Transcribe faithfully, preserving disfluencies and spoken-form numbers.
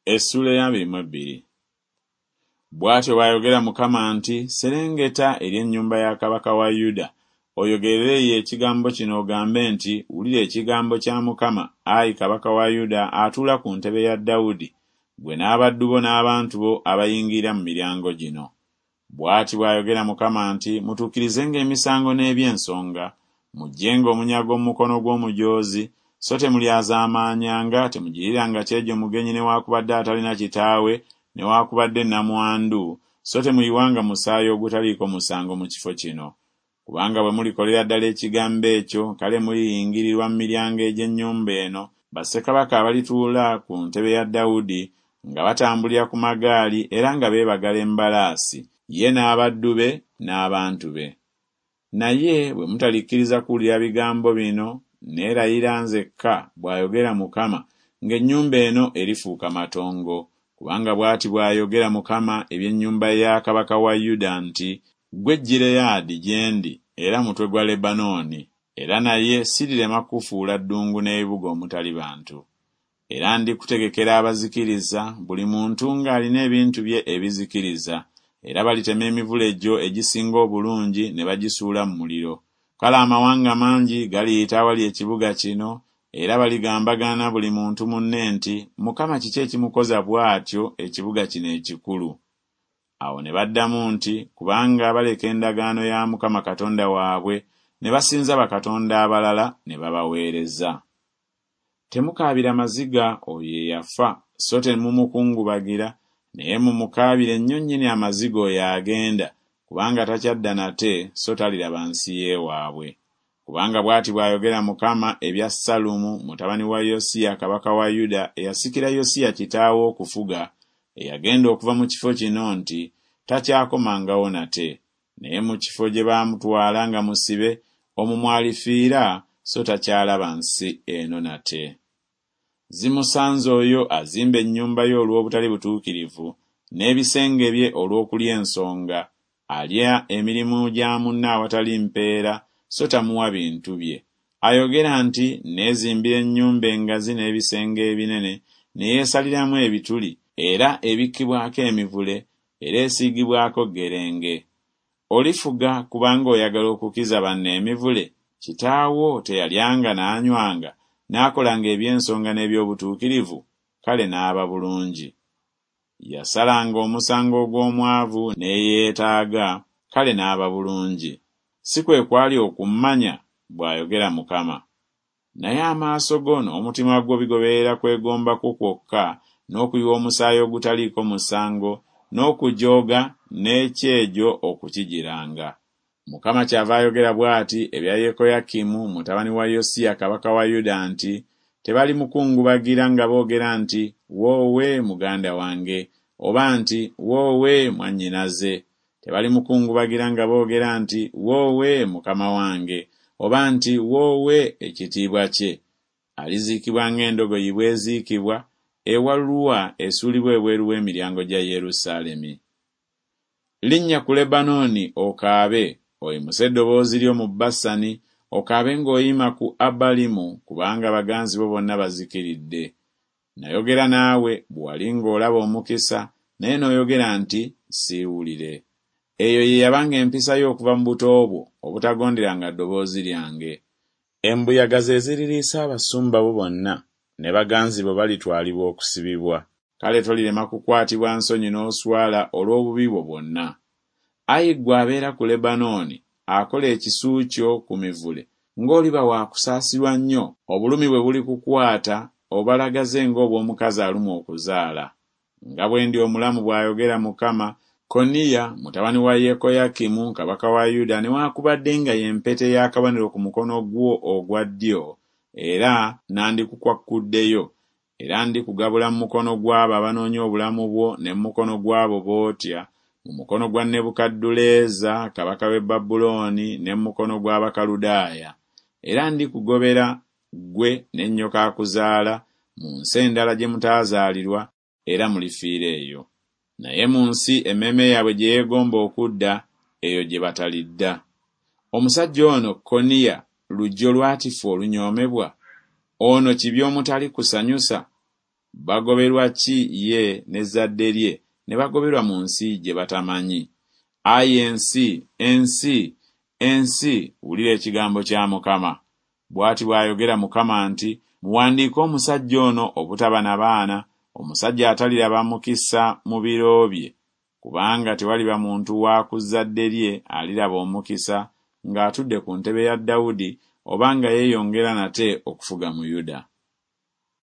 Essuula ey'abiri mu ebbiri. Bw'atyo bw'ayogera Mukama nti, Serengeta eri ennyumba ya kabaka wa Yuda, oyogerere eyo ekigambo kino ogambe nti, Wulira ekigambo kya Mukama, ayi kabaka wa Yuda atuula ku ntebe ya Dawudi, ggwe n'abaddu bo n'abantu bo abayingirira mu miryango gino. Bw'ati bw'ayogera Mukama nti, Mutuukirizenga emisango n'eby'ensonga, muggyenga omunyago mu mukono gw'omujoozi, so temulyazaamaanyanga, temugiriranga kyejo mugenyi newaakubadde atalina kitaawe, newaakubadde nnamwandu, so temuyiwanga musaayi ogutaliiko musango mu kifo kino. Kubanga bwe mulikolera ddala ekigambo ekyo, kale muliyingirirwa mu miryango egy'ennyumba eno, bassekabaka abalituula ku ntebe ya Dawudi, nga batambulira ku magaali era nga beebagala embalaasi, ye n'abaddu be n'abantu be. Naye bwe mutalikkiriza kuwulira bigambo bino, neerayira nzekka, bw'ayogera Mukama, ng'ennyumba eno erifuuka matongo. Kubanga bw'ati bw'ayogera Mukama eby'ennyumba ya kabaka wa Yuda nti, Ggwe Gireyaadi gye ndi era mutwe gwa Lebanooni, era naye sirirema kukufuula ddungu n'ebibuga omutali bantu. Era ndikutegekera abazikiriza, buli muntu ng'alina ebintu bye ebizikiriza, era balitema emivule gyo egisinga obulungi ne bagisuula mu muliro. Kale amawanga mangi galiyita awali ekibuga kino, era baligambagana buli muntu munne nti, Mukama kiki ekimukoza bw'atyo ekibuga kino ekikulu? Awo ne baddamu nti, Kubanga baleka endagaano ya Mukama Katonda waabwe, ne basinza bakatonda abalala ne babaweereza. Temukaabira maziga oyo eyafa, so temumukungubagira, naye mumukaabire nnyo nnyini amaziga oyo agenda, kubanga takyadda nate, so taliraba nsi y'ewaabwe. Kubanga bw'ati bw'ayogera Mukama ebya Sallumu mutabani wa Yosiya kabaka wa Yuda eyasikira Yosiya kitaawe okufuga, eyagenda okuva mu kifo kino nti, Takyakomangawo nate, naye mu kifo gye baamutwala nga musibe, omwo mw'alifiira, so takyalaba nsi eno nate. Zimusanze oyo azimba ennyumba ye olw'obutali butuukirivu, n'ebisenge bye olw'okulya ensonga, alya emirimu gya munne awatali mpeera, so tamuwa bintu bye. Ayogera nti, Nneezimbira ennyumba engazi n'ebisenge ebinene, ne yeesaliramu ebituli, era ebikkibwako emivule, era esiigibwako ggerenge. Olifuga kubanga oyagala okukiza banno emivule? Kitaawo teyalyanga n'anywanga, n'akolanga eby'ensonga n'eby'obutuukirivu, kale n'aba bulungi. Yasalanga omusango ogw'omwavu n'eyeetaaga, kale n'aba bulungi. Si kwe kwali okummanya, bw'ayogera Mukama. Naye amaaso go n'omutima gwo bigoberera kwegomba kwo kwokka, n'okuyiwa omusaayi ogutaliiko musango, n'okujooga n'ekyejo okukigiranga. Mukama kyava ayogera bw'ati ebya Yekoyakimu mutabani wa Yosiya kabaka wa Yuda nti, Tebalimukungubagira nga boogera nti, Woowe muganda wange, oba nti, Woowe mwannyinaze. Tebalimukungubagira nga boogera nti, Woowe mukama wange, oba nti, Woowe ekitiibwa kye. Aliziikibwa ng'endogoyi bw'eziikibwa, ewalulwa esuulibwa ebweru w'emiryango gya Yerusaalemi. Linnya ku Lebanooni okaabe, oyimuse eddoboozi lyo mu Basani, okaabe ng'oyima ku Abalimu, kubanga baganzi bo bonna bazikiridde. Nayogera naawe bwe wali ng'olaba omukisa, naye n'oyogera nti, Siiwulire. Eyo ye yabanga empisa yo okuva mu buto bwo, obutagonderanga ddoboozi lyange. Embuyaga ze ziririisa abasumba bo bonna, ne baganzi bo balitwalibwa okusibibwa. Kale tolirema kukwatibwa nsonyi n'oswala olw'obubi bwo bwonna. Ayi ggwe abeera ku Lebanooni, akola ekisu kyo ku mivule, ng'oliba wa kusaasirwa nnyo, obulumi bwe bulikukwata, obalagaze ng'obw'omukazi alumwa okuzaala. Nga bwe ndi omulamu, bw'ayogera Mukama, Koniya mutabani wa Yekoyakimu kabaka wa Yuda newaakubadde nga ye mpeta ey'akabonero ku mukono gwo ogwa ddyo, era nandikukwakkuddeyo, era ndikugabula mu mukono gw'abo abanoonya obulamu bwo ne mu mukono gw'abo b'otya, mu mukono gwa Nebukadduleeza kabaka w'e Babulooni ne mu mukono gw'Abakaludaaya. Era ndikugobera ggwe ne nnyoko akuzaala mu nsi endala gye mutaazaalirwa, era mulifiira eyo. Naye mu nsi emmeeme yaabwe gye yeegomba okudda, eyo gye batalidda. Omusajja ono Koniya lujjo lwatifu olunyoomebwa? Ono kibya omutali kusanyusa? Bagoberwa ki ye n'ezzadde lye ne bagoberwa mu nsi gye batamanyi? Ayi ensi, ensi, ensi, wulira ekigambo kya Mukama. Bw'ati bw'ayogera Mukama nti, Muwandiike omusajja ono obutaba na baana, omusajja ataliraba mukisa mu biro bye, kubanga tewaliba muntu wa ku zzadde lye aliraba omukisa ng'atudde ku ntebe ya Dawudi oba nga yeeyongera nate okufuga mu Yuda.